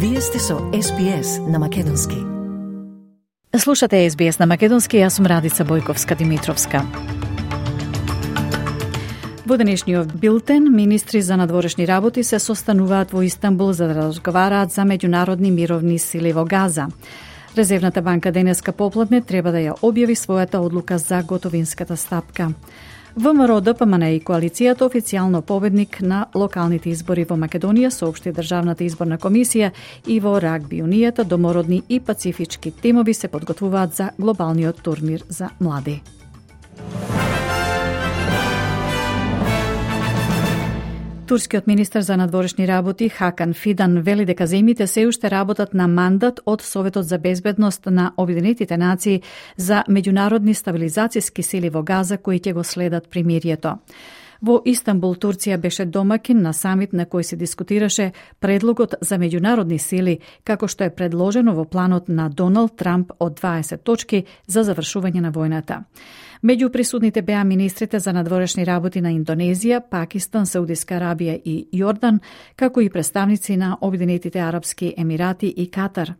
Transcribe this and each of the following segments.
Вие сте со SBS на Македонски. Слушате SBS на Македонски, јас сум Радица Бојковска-Димитровска. Во денешниот билтен, министри за надворешни работи се состануваат во Истанбул за да разговараат за меѓународни мировни сили во Газа. Резервната банка денеска попладне треба да ја објави својата одлука за готовинската стапка. ВМРО, ДПМН и коалицијата официјално победник на локалните избори во Македонија, соопшти Државната изборна комисија, и во рагби унијата домородни и пацифички тимови се подготвуваат за глобалниот турнир за млади. Турскиот министер за надворешни работи Хакан Фидан вели дека земјите се уште работат на мандат од Советот за безбедност на Обединетите нации за меѓународни стабилизацијски сили во Газа кои ќе го следат примирието. Во Истанбул, Турција беше домакин на самит на кој се дискутираше предлогот за меѓународни сили, како што е предложено во планот на Доналд Трамп од 20 точки за завршување на војната. Меѓу присутните беа министрите за надворешни работи на Индонезија, Пакистан, Саудиска Арабија и Јордан, како и представници на Обединетите Арапски Емирати и Катар.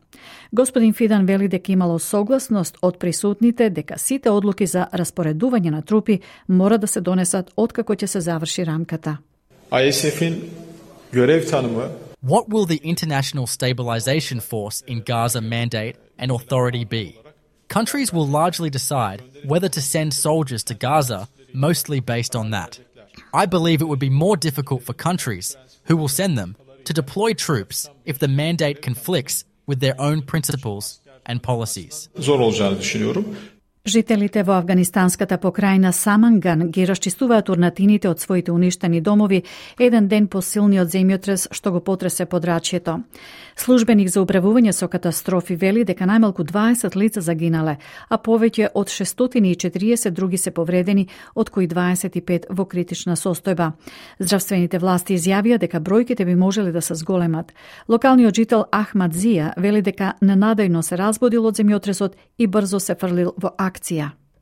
Господин Фидан вели дека имало согласност од присутните дека сите одлуки за распоредување на трупи мора да се донесат откако ќе се заврши рамката. ISF'in görev tanımı. What will the International Stabilization Force in Gaza mandate and authority be? Countries will largely decide whether to send soldiers to Gaza, mostly based on that. I believe it would be more difficult for countries who will send them to deploy troops if the mandate conflicts with their own principles and policies. Zor olacağını düşünüyorum. Жителите во афганистанската покрајна Саманган ги расчистуваат урнатините од своите уништени домови еден ден по силниот земјотрес што го потресе подрачјето. Службеник за управување со катастрофи вели дека најмалку 20 лица загинале, а повеќе од 640 други се повредени, од кои 25 во критична состојба. Здравствените власти изјавија дека бројките би можеле да се зголемат. Локалниот жител Ахмад Зија вели дека ненадејно се разбудил од земјотресот и брзо се фрлил во акција.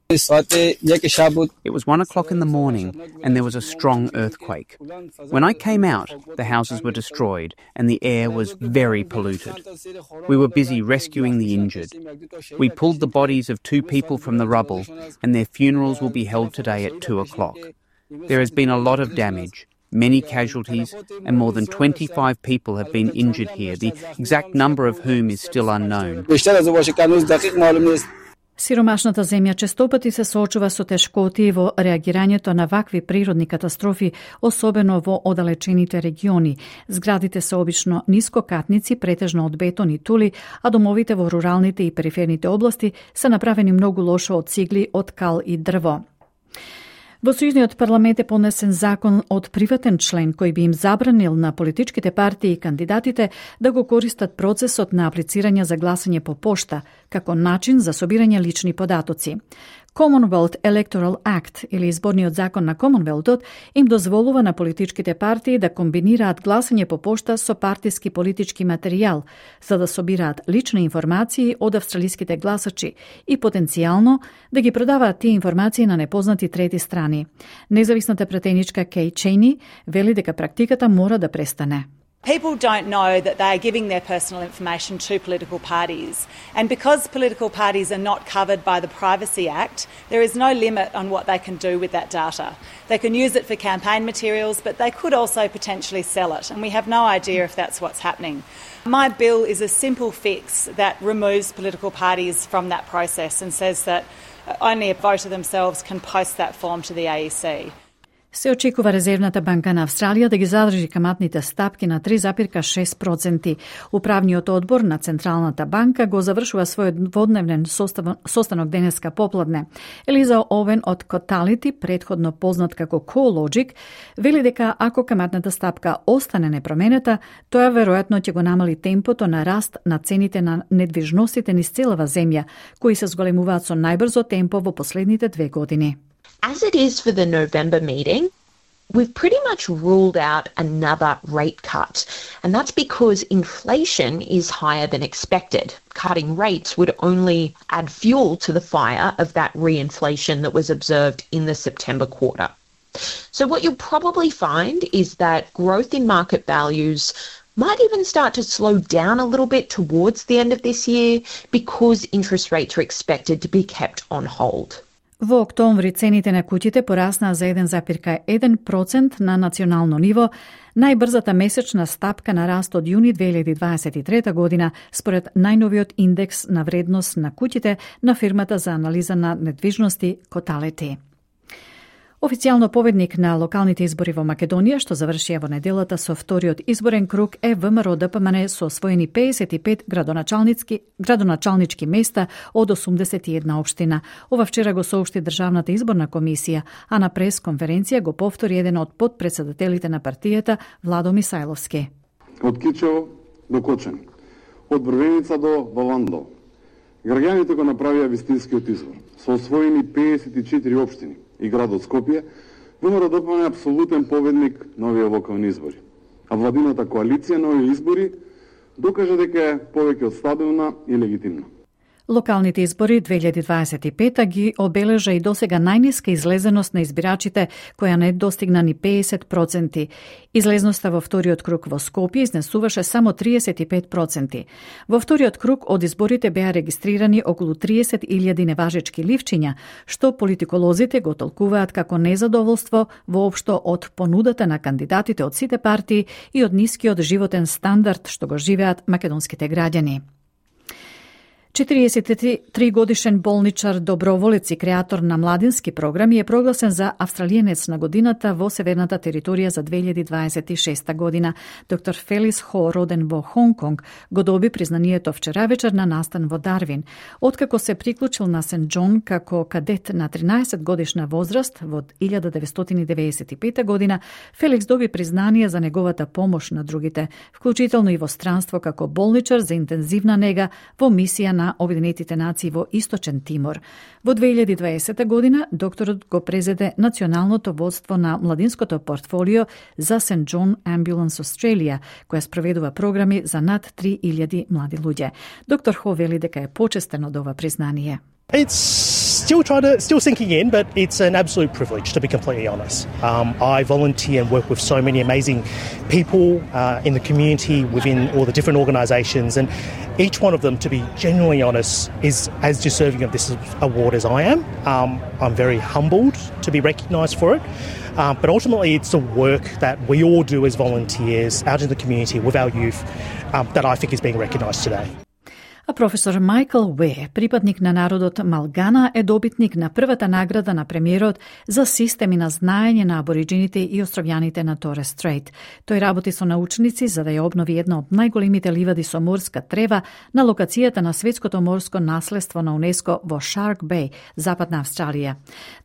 It was 1 o'clock in the morning and there was a strong earthquake. When I came out, the houses were destroyed and the air was very polluted. We were busy rescuing the injured. We pulled the bodies of 2 people from the rubble and their funerals will be held today at 2 o'clock. There has been a lot of damage, many casualties, and more than 25 people have been injured here, the exact number of whom is still unknown. Сиромашната земја честопати се соочува со тешкоти во реагирањето на вакви природни катастрофи, особено во оддалечените региони. Зградите се обично нискокатници, претежно од бетон и тули, а домовите во руралните и периферните области се направени многу лошо од цигли, од кал и дрво. Во Сојузниот парламент е понесен закон од приватен член кој би им забранил на политичките партии и кандидатите да го користат процесот на аплицирање за гласање по пошта како начин за собирање лични податоци. Commonwealth Electoral Act или изборниот закон на Комонвелтот им дозволува на политичките партии да комбинираат гласање по пошта со партиски политички материјал, за да собираат лични информации од австралиските гласачи и потенцијално да ги продаваат тие информации на непознати трети страни. Независната пратеничка Кей Чейни вели дека практиката мора да престане. People don't know that they are giving their personal information to political parties. And because political parties are not covered by the Privacy Act, there is no limit on what they can do with that data. They can use it for campaign materials, but they could also potentially sell it. And we have no idea if that's what's happening. My bill is a simple fix that removes political parties from that process and says that only a voter themselves can post that form to the AEC. Се очекува Резервната банка на Австралија да ги задржи каматните стапки на 3,6%. Управниот одбор на Централната банка го завршува својот дводневен состанок денеска попладне. Елиза Овен од Коталити, предходно познат како CoreLogic, вели дека ако каматната стапка остане непроменета, тоа веројатно ќе го намали темпото на раст на цените на недвижностите низ целава земја, кои се зголемуваат со најбрзо темпо во последните 2 години. As it is for the November meeting, we've pretty much ruled out another rate cut, and that's because inflation is higher than expected. Cutting rates would only add fuel to the fire of that reinflation that was observed in the September quarter. So what you'll probably find is that growth in market values might even start to slow down a little bit towards the end of this year because interest rates are expected to be kept on hold. Во октомври цените на куќите пораснаа за 1,1% на национално ниво, најбрзата месечна стапка на раст од јуни 2023 година, според најновиот индекс на вредност на куќите на фирмата за анализа на недвижности Коталети. Официјално победник на локалните избори во Македонија, што завршија во неделата со вториот изборен круг, е ВМРО ДПМН со освоени 55 градоначалнички места од 81 општина. Ова вчера го соопшти Државната изборна комисија, а на прес-конференција го повтори еден од подпредседателите на партијата, Владо Мисајловски. Од Кичево до Кочани, од Брвеница до Валандо, граѓаните го направија вистинскиот избор, со освоени 54 општини и градот Скопје, ВМРО ДПМН е апсолутен победник на овие локални избори. А владината коалиција на овие избори докажа дека е повеќе од стабилна и легитимна. Локалните избори 2025 ги обележа и досега најниска излезеност на избирачите, која не достигна ни 50%. Излезноста во вториот круг во Скопје изнесуваше само 35%. Во вториот круг од изборите беа регистрирани околу 30.000 неважечки ливчиња, што политиколозите го толкуваат како незадоволство воопшто од понудата на кандидатите од сите партии и од нискиот животен стандард што го живеат македонските граѓани. 43 годишен болничар, доброволец и креатор на младински програми е прогласен за австралиенец на годината во северната територија за 2026 година. Доктор Фелис Хо, роден во Хонг Конг, го доби признанието вчера вечер на настан во Дарвин. Откако се приклучил на Сент Џон како кадет на 13 годишна возраст во 1995 година, Феликс доби признание за неговата помош на другите, вклучително и во странство како болничар за интензивна нега во мисија на Обединетите нации во Источен Тимор. Во 2020 година докторот го презеде националното водство на младинското портфолио за Сент Џон Ambulance Australia, која спроведува програми за над 3000 млади луѓе. Доктор Хо вели дека е почестен од ова признание. It's still sinking in, but it's an absolute privilege, to be completely honest. I volunteer and work with so many amazing people in the community, within all the different organisations, and each one of them, to be genuinely honest, is as deserving of this award as I am. I'm very humbled to be recognised for it, but ultimately it's the work that we all do as volunteers out in the community with our youth that I think is being recognised today. А професор Майкл Уе, припадник на народот Малгана, е добитник на првата награда на премиерот за системи на знаење на абориджините и островјаните на Торес Стрейт. Тој работи со научници за да ја обнови една од најголемите ливади со морска трева на локацијата на светското морско наследство на УНЕСКО во Шарк Беј, Западна Австралија.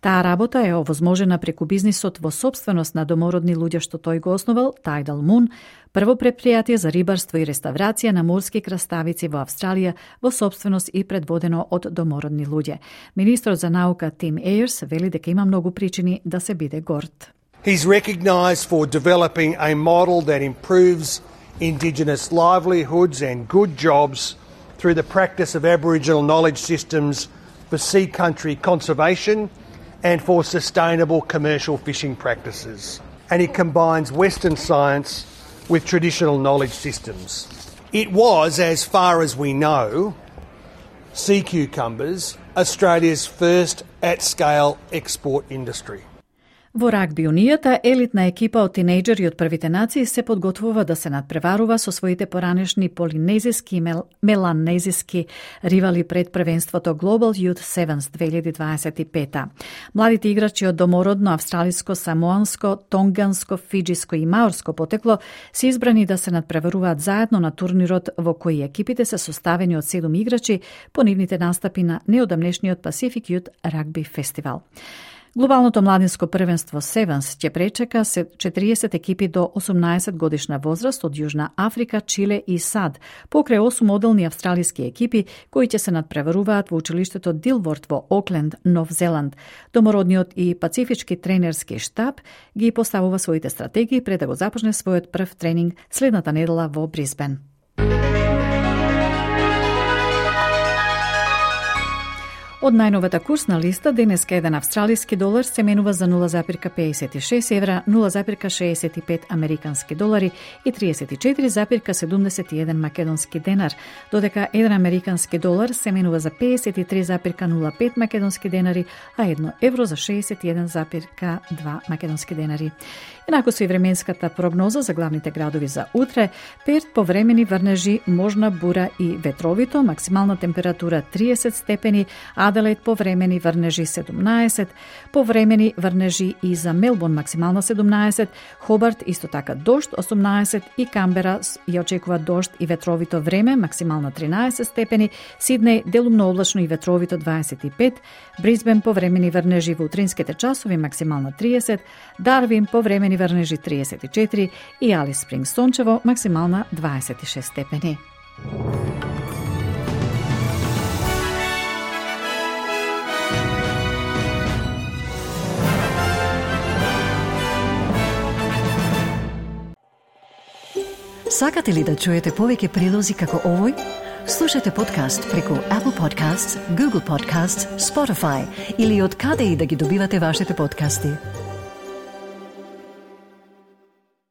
Таа работа е овозможена преку бизнисот во сопственост на домородни луѓе што тој го основал, Tidal Moon, прво предпријатие за рибарство и реставрација на морски краставици во Австралија во сопственост и предводено од домородни луѓе. Министрот за наука Тим Ејерс вели дека има многу причини да се биде горд. He's recognised for developing a model that improves Indigenous livelihoods and good jobs through the practice of Aboriginal knowledge systems for sea country conservation and for sustainable commercial fishing practices. And he combines Western science with traditional knowledge systems. It was, as far as we know, sea cucumbers, Australia's first at-scale export industry. Во рагби унијата, елитна екипа од тинејџери од првите нации се подготвува да се надпреварува со своите поранешни полинезиски и меланезиски ривали пред првенството Global Youth Sevens 2025. Младите играчи од домородно, австралиско, самоанско, тонганско, фиджиско и маорско потекло се избрани да се надпреваруваат заедно на турнирот во кој екипите се составени од 7 играчи по нивните настапи на неодамнешниот Pacific Youth Rugby Festival. Глобалното младинско првенство Sevens ќе пречека 40 екипи до 18 годишна возраст од Јужна Африка, Чиле и САД, покрај 8 моделни австралиски екипи кои ќе се надпреваруваат во училиштето Дилворд во Окленд, Нов Зеланд. Домородниот и пацифички тренерски штаб ги поставува своите стратегии пред да го започне својот прв тренинг следната недела во Брисбен. Од најновата курсна листа, денеска еден австралиски долар се менува за 0,56 евра, 0,65 американски долари и 34,71 македонски денар, додека еден американски долар се менува за 53,05 македонски денари, а 1 евро за 61,2 македонски денари. Инаку со и временската прогноза за главните градови за утре: Перт повремени врнежи, можна бура и ветровито, максимална температура 30 степени, Аделаид повремени врнежи 17, повремени врнежи и за Мелбурн максимална 17, Хобарт исто така дожд 18 и Камбера ја очекува дожд и ветровито време, максимална 13 степени, Сиднеј делумно облачно и ветровито 25, Брисбен повремени врнежи во утринските часови, максимална 30, Дарвин повремени врнежи 34 и Алис Спрингс сончево, максимална 26 степени. Сакате ли да чуете повеќе прилози како овој? Слушате подкаст преку Apple Podcasts, Google Podcasts, Spotify или од каде и да ги добивате вашите подкасти.